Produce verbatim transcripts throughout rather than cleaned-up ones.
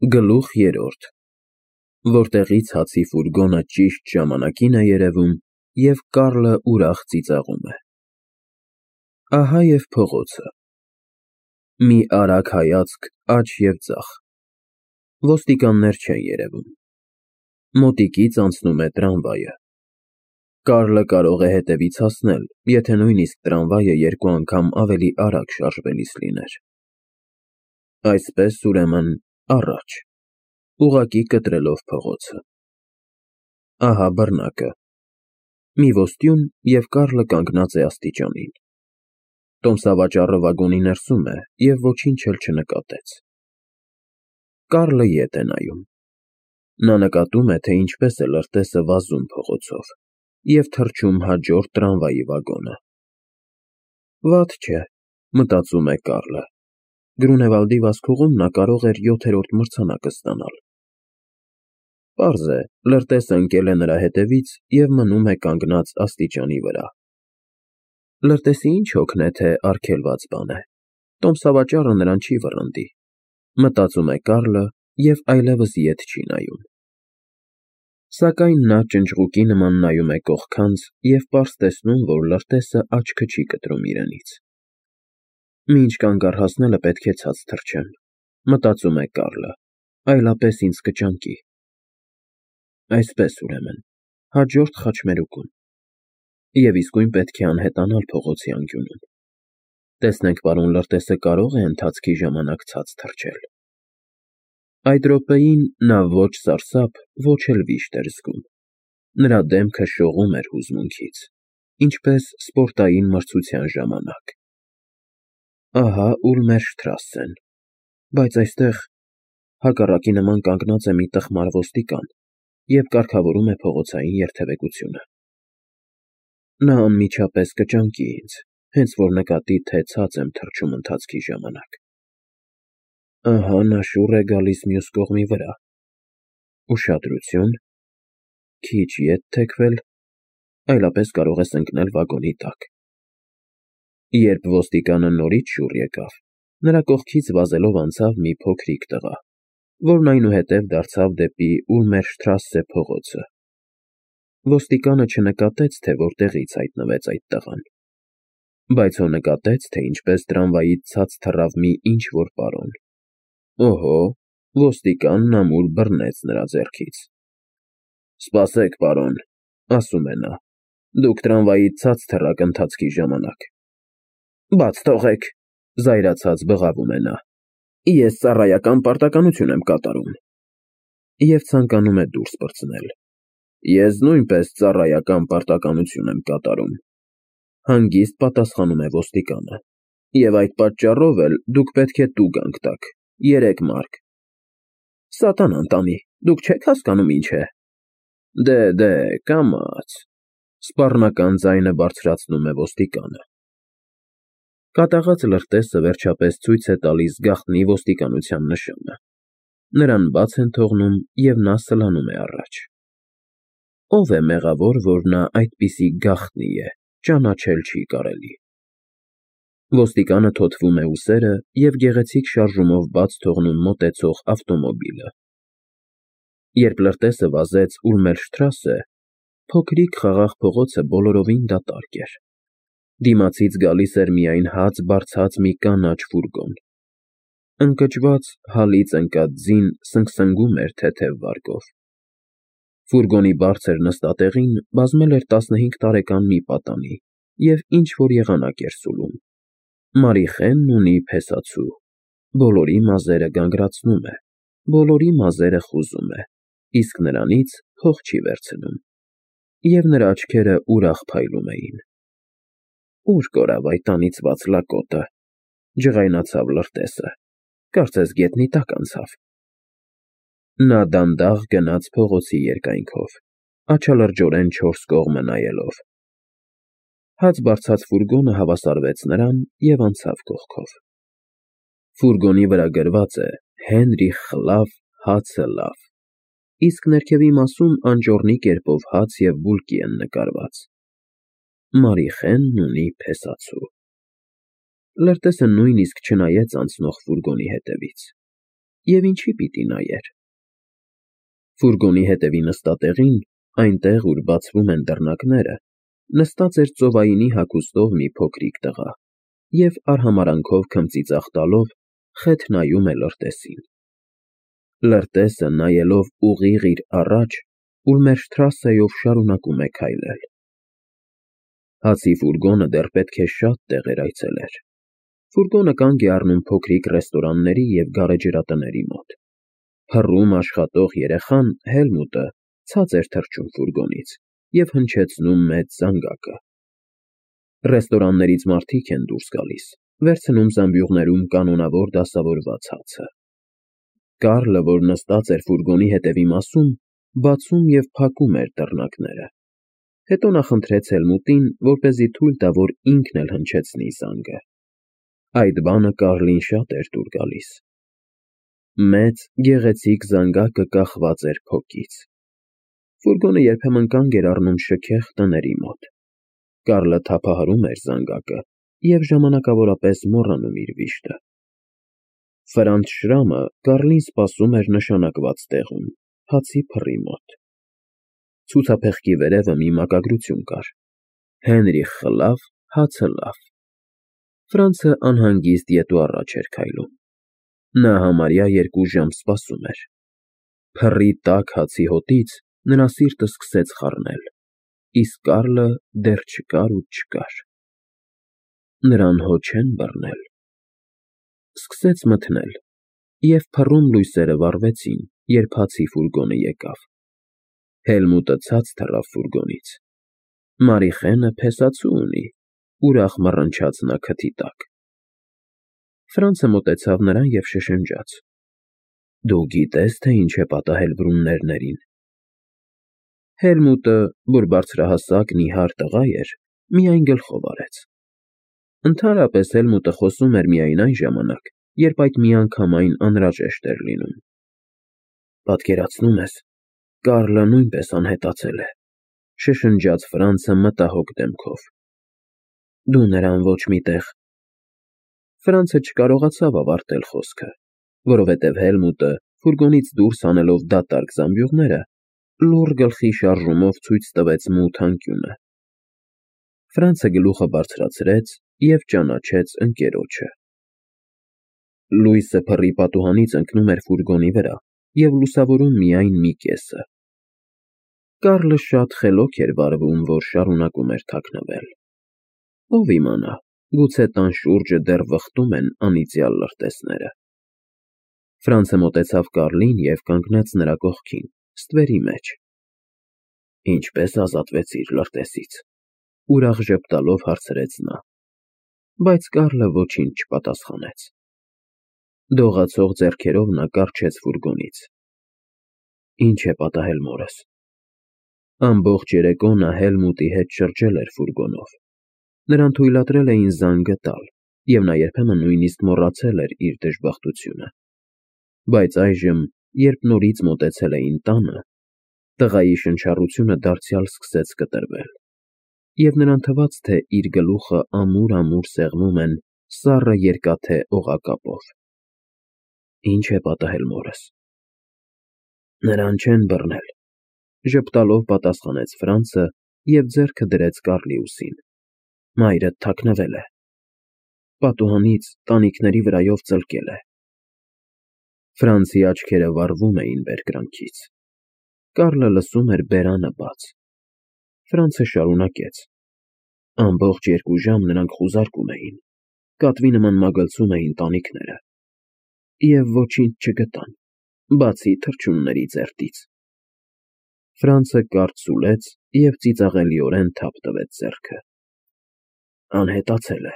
Գլուխ երրորդ, որտեղից հացի ֆուրգոնը ճիշտ ժամանակին է երևում և Կառլը ուրախ ծիծաղում է։ Ահա և փողոցը։ Մի արագ հայացք աջ և ձախ, ոստիկաններ չեն երևում, մոտիկից անցնում է տրամվայը։ Կառլը կարող է հետևից հասնել, եթե նույնիսկ տրամվայը երկու անգամ ավելի արագ շարժվելիս լիներ։ Այսպես, ուրեմն, առաջ, ուղղակի կտրելով փողոցը։ Ահա բռնակը, մի ոստյուն, և Կառլը կանգնած է աստիճանին։ Տոմսավաճառը վագոնի ներսում է և ոչինչ էլ չնկատեց։ Կառլը ետ է նայում։ Նա նկատում է, թե ինչպես է լրտեսը վազում փողոցով և թռչում հաջորդ տրամվայի վագոնը։ Վատ չէ, մտածում է Կառլը, Գրունևալդի վազքուղում նա կարող էր յոթերորդ մրցանակը ստանալ։ Պարզ է, լրտեսը ընկել է նրա հետևից և մնում է կանգնած աստիճանի վրա։ Լրտեսի ինչ հոգն է, թե արգելված բան է, տոմսավաճառը նրան չի վռնդի, մտածում է Կառլը և այլևս ետ չի նայում։ Սակայն նա ճնճղուկի նման նայում է կողքանց և պարզ տեսնում, որ լրտեսը աչքը չի կտրում իրենից։ Մինչ կանգ առհասնելը պետք է ցած թռչեմ, մտածում է Կառլը, այլապես ինձ կճանկի։ Այսպես, ուրեմն, հաջորդ խաչմերուկում։ Եվ իսկույն պետք է անհետանալ փողոցի անկյունում։ Տեսնենք պարոն լրտեսը կարո՞ղ է ընթացքի ժամանակ ցած թռչել։ Այդ րոպեին նա ոչ սարսափ, ոչ էլ վիշտ էր զգում։ Նրա դեմքը շողում էր հուզմունքից, ինչպես սպորտային մրցության ժամանակ։ Ահա Ուլմերշտրասեն, բայց այստեղ հակառակի նման կանգնած է մի տխմար ոստիկան և կարգավորում է փողոցային երթևեկությունը։ Նա անմիջապես կճանկի ինձ, հենց որ նկատի, թե ցած եմ թռչում ընթացքի ժամանակ։ Ահա նա շուռ է գալիս մյուս կողմի վրա։ Ուշադրություն, քիչ ետ թեքվել, այլապես կարող ես ընկնել վագոնի տակ։ Երբ ոստիկանը նորից շուռ եկավ, նրա կողքից վազելով անցավ մի փոքրիկ տղա, որն այնուհետև դարձավ դեպի Ուլմերշտրասե փողոցը։ Ոստիկանը չնկատեց, թե որտեղից հայտնվեց այդ տղան, բայց հո նկատեց, թե ինչպես տրամվայից ցած թռավ մի ինչ֊որ պարոն։ Օհո, ոստիկանն ամուր բռնեց նրա ձեռքից։ Սպասեք, պարոն, ասում է նա, դուք տրամվայից ցած թռաք ընթացքի ժամանակ։ Բաց թողեք, զայրացած բղավում է նա, ես ծառայական պարտականություն եմ կատարում։ Եվ ցանկանում է դուրս պրծնել։ Ես նույնպես ծառայական պարտականություն եմ կատարում, հանգիստ պատասխանում է ոստիկանը, և այդ պատճառով էլ դուք պետք է տուգանք տաք, երեք մարկ։ Սատանան տանի, դուք չեք հասկանում ինչ է։ Դե, դե, կամաց, սպառնական ձայնը բարձրացնում է ոստիկանը։ Կատաղած լրտեսը վերջապես ցույց է տալիս գաղտնի ոստիկանության նշանը։ Նրան բաց են թողնում, և նա սլանում է առաջ։ Ո՞վ է մեղավոր, որ նա այդպիսի գաղտնի է, ճանաչել չի կարելի։ Ոստիկանը թոթվում է ուսերը և գեղեցիկ շարժումով բաց թողնում մոտեցող ավտոմոբիլը։ Երբ լրտեսը վազեց Ուլմերշտրասե, փոքրիկ խաղաղ փողոցը բոլորովին դատարկ էր։ Դիմացից գալիս էր միայն հաց բարձած մի կանաչ ֆուրգոն։ Ընկճված, հալից ընկած ձին սնգսնգում էր թեթև վարկով։ Ֆուրգոնի բարձր նստատեղին բազմել էր տասնհինգ տարեկան մի պատանի և ինչ֊որ եղանակ էր սուլում։ Մարիխենն ունի փեսացու, բոլորի մազերը գանգրացնում է, բոլորի մազերը խուզում է, իսկ նրանից փող չի վերցնում։ Եվ նրա աչքերը ուրախ փայլում էին։ Ուր կորավ այդ անիծված լակոտը, ջղայնացավ լրտեսը, կարծես գետնի տակ անցավ։ Նա դանդաղ գնաց փողոցի երկայնքով, աչալրջորեն չորս կողմը նայելով։ Հաց բարձած ֆուրգոնը հավասարվեց նրան և անցավ կողքով։ Ֆուրգոնի վրա գրված է Հենրիխ խլավ, հացը լավ, իսկ ներքևի մասում անճոռնի կերպով հաց և բուլկի են նկարված։ Մարիխենն ունի փեսացու։ Լրտեսը նույնիսկ չնայեց անցնող ֆուրգոնի հետևից։ և ինչի պիտի նայեր։ Ֆուրգոնի հետևի նստատեղին, այնտեղ, ուր բացվում են դռնակները, նստած էր ծովայինի հագուստով մի փոքրիկ տղա և արհամարհանքով քմծիծաղ տալով խեթ նայում է լրտեսին։ Լրտեսը, նայելով ուղիղ իր առաջ, ուրմերժ թրասայով շարունակում է քայլել։ Հացի ֆուրգոնը դեռ պետք է շատ տեղեր այցելեր։ Ֆուրգոնը կանգ է առնում փոքրիկ ռեստորանների և գարեջրատների մոտ։ Փռում աշխատող երեխան՝ Հելմուտը, ցած էր թռչում ֆուրգոնից և հնչեցնում մեծ զանգակը։ Ռեստորաններից մարդիկ են դուրս գալիս, վերցնում զամբյուղներում կանոնավոր դասավորված հացը։ Կարլը, որ նստած էր ֆուրգոնի հետևի մասում, բացում և փակում էր դռնակները։ Հետո նա խնդրեց Հելմուտին, որպեսզի թույլ տա, որ ինքն էլ հնչեցնի զանգը։ Այդ բանը Կարլին շատ էր դուր գալիս։ Մեծ, գեղեցիկ զանգակը կախված էր փոկից։ Ֆուրգոնը երբեմն կանգ էր առնում շքեղ տների մոտ։ Կարլը թափահարում էր զանգակը և ժամանակավորապես մոռանում իր վիշտը։ Ֆրանց Շրամը Կարլին սպասում էր նշանակված տեղում, հացի փռի մոտ։ Ցուցափեղկի վերևը մի մակագրություն կար. Հենրիխ խլավ, հացը լավ։ Ֆրանցը անհանգիստ ետ ու առաջ էր քայլում։ Նա համարյա երկու ժամ սպասում էր։ Փռի տաք հացի հոտից նրա սիրտը սկսեց խառնել, իսկ Կարլը դեռ չկար ու չկար։ Նրան հո չեն բռնել։ Սկսեց մթնել, և փռում լույսերը վառվեցին, երբ հացի ֆուրգոնը եկավ։ Հելմուտը ցած թռավ ֆուրգոնից։ Մարիխենը փեսացու ունի, ուրախ մռնչաց նա քթի տակ։ Ֆրանցը մոտեցավ նրան և շշնջաց. Դու գիտե՞ս, թե ինչ է պատահել բռունլերներին։ Հելմուտը, որ բարձրահասակ, նիհար տղա էր, միայն գլխով արեց։ Ընդհանրապես Հելմուտը խոսում էր միայն այն ժամանակ, երբ այդ միանգամայն անհրաժեշտ էր լինում։ Պատկերացնու՞մ ես, Կարլը նույնպես անհետացել է, շշնջաց Ֆրանցը մտահոգ դեմքով։ Դու նրան ոչ մի տեղ… Ֆրանցը չկարողացավ ավարտել խոսքը, որովհետև Հելմուտը, ֆուրգոնից դուրս հանելով դատարկ զամբյուղները, լուռ գլխի շարժումով ցույց տվեց մութ անկյունը։ Ֆրանցը գլուխը բարձրացրեց և ճանաչեց ընկերոջը։ Լույսը փռի պատուհանից ընկնում էր ֆուրգոնի վրա և լուսավորում միայն մի կեսը։ Կարլը շատ խելոք էր վարվում, որ շարունակում էր թաքնվել։ Ով իմանա, գուցե տան շուրջը դեռ վխտում են անիծյալ լրտեսները։ Ֆրանցը մոտեցավ Կարլին և կանգնեց նրա կողքին, ստվերի մեջ։ Ինչպե՞ս ազատվեցիր լրտեսից, ուրախ ժպտալով հարցրեց նա։ Բայց Կարլը ոչինչ չպատասխանեց։ Դողացող ձեռքերով նա կառչեց ֆուրգոնից։ Ինչ է պատահել մորս։ Ամբողջ երեկո նա Հելմուտի հետ շրջել էր ֆուրգոնով։ Նրան թույլատրել էին զանգը տալ, և նա երբեմն նույնիսկ մոռացել էր իր դժբախտությունը։ Բայց այժմ, երբ նորից մոտեցել էին տանը, տղայի շնչառությունը դարձյալ սկսեց կտրվել, և նրան թվաց, թե իր գլուխը ամուր֊ամուր սեղմում են սառը երկաթե օղակապով։ Ինչ է պատահել մորս։ Նրան չեն բռնել, ժպտալով պատասխանեց Ֆրանցը և ձեռքը դրեց Կարլի ուսին։ Մայրդ թաքնվել է։ Պատուհանից տանիքների վրայով ծլկել է։ Ֆրանցի աչքերը վառվում էին բերկրանքից։ Կարլը լսում էր բերանը բաց։ Ֆրանցը շարունակեց. Ամբողջ երկու ժամ նրանք խուզարկում էին, կատվի նման մագլցում էին տանիքները։ Եվ ոչինչ չգտան, բացի թռչունների ցերտից։ Ֆրանցը կարճ սուլեց և ծիծաղելիորեն թափ տվեց ձեռքը։ Անհետացել է,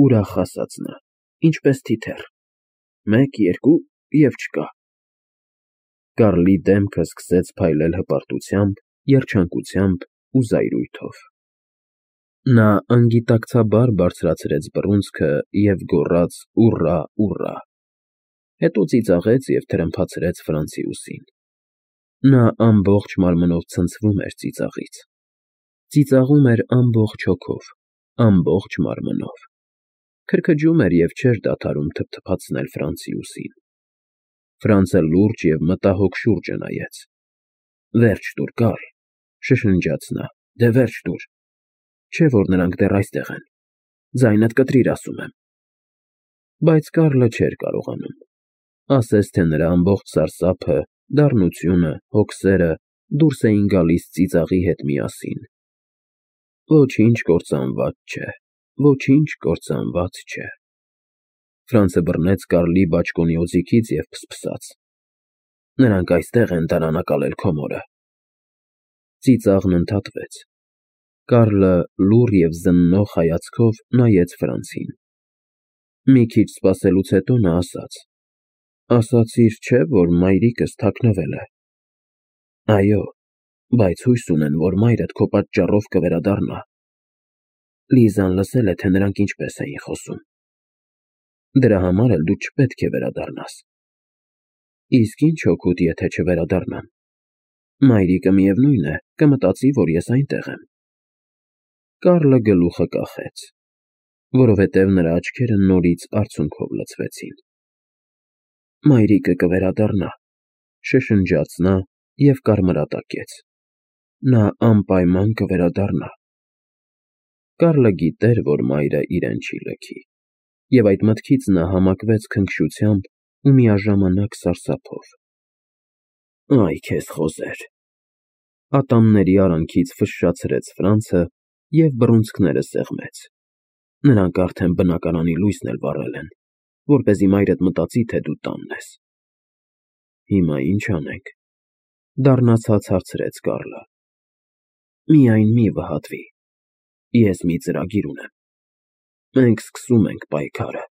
ուրախ ասաց նա, ինչպես թիթեռ։ Մեկ, երկու և չկա։ Կարլի դեմքը սկսեց փայլել հպարտությամբ, երջանկությամբ ու զայրույթով։ Նա անգիտակցաբար բարձրացրեց բռունցքը և գոռաց ուռա, ուռա։ Հետո ծիծաղեց և թրմփացրեց Ֆրանցի ուսին։ Նա ամբողջ մարմնով ցնցվում էր ծիծաղից։ Ծիծաղում էր ամբողջ հոգով, ամբողջ մարմնով։ Քրքջում էր և չէր դադարում թփթփացնել Ֆրանցի ուսին։ Ֆրանցը լուրջ և մտահոգ շուրջը նայեց։ Վերջ տուր, Կարլ, շշնջաց նա, դե վերջ տուր, չէ որ նրանք դեռ այստեղ են, ձայնդ կտրիր, ասում եմ։ Բայց Կարլը չէր կարողանում, ասես թե նրա ամբողջ սարսափը, դառնությունը, հոգսերը դուրս էին գալիս ծիծաղի հետ միասին։ Ոչինչ կործանված չէ, ոչինչ կործանված չէ։ Ֆրանցը բռնեց Կարլի բաճկոնի օձիքից և փսփսաց. Նրանք այստեղ են դարանակալել քո մորը։ Ծիծաղն ընդհատվեց։ Կարլը լուռ և զննող հայացքով նայեց Ֆրանցին։ Մի քիչ սպասելուց հետո նա ասաց. Ասացիր, չէ՞, որ մայրիկս թաքնվել է։ Այո, բայց հույս ունեն, որ մայրդ քո պատճառով կվերադառնա։ Լիզան լսել է, թե նրանք ինչպես էին խոսում։ Դրա համար էլ դու չպետք է վերադառնաս։ Իսկ ինչ օգուտ, եթե չվերադառնամ։ Մայրիկը միևնույն է, կմտածի, որ ես այնտեղ եմ։ Կարլը գլուխը կախեց, որովհետև նրա աչքերը նորից արցունքով լցվեցին։ Մայրիկը կվերադառնա, շշնջաց նա և կարմրատակեց։ Նա անպայման կվերադառնա։ Կարլը գիտեր, որ մայրը իրեն չի լքի, և այդ մտքից նա համակվեց քնքշությամբ ու միաժամանակ սարսափով։ Այ քեզ խոզեր, ատամների արանքից ֆշշացրեց Ֆրանցը և բռունցքները սեղմեց։ Նրանք արդեն բնակարանի լույսն էլ վառել են, որպեսզի մայրդ մտածի, թե դու տանն ես։ Հիմա ի՞նչ անենք, դառնացած հարցրեց Կարլը։ Միայն մի վհատվի, ես մի ծրագիր ունեմ։ Մենք սկսում ենք պայքարը։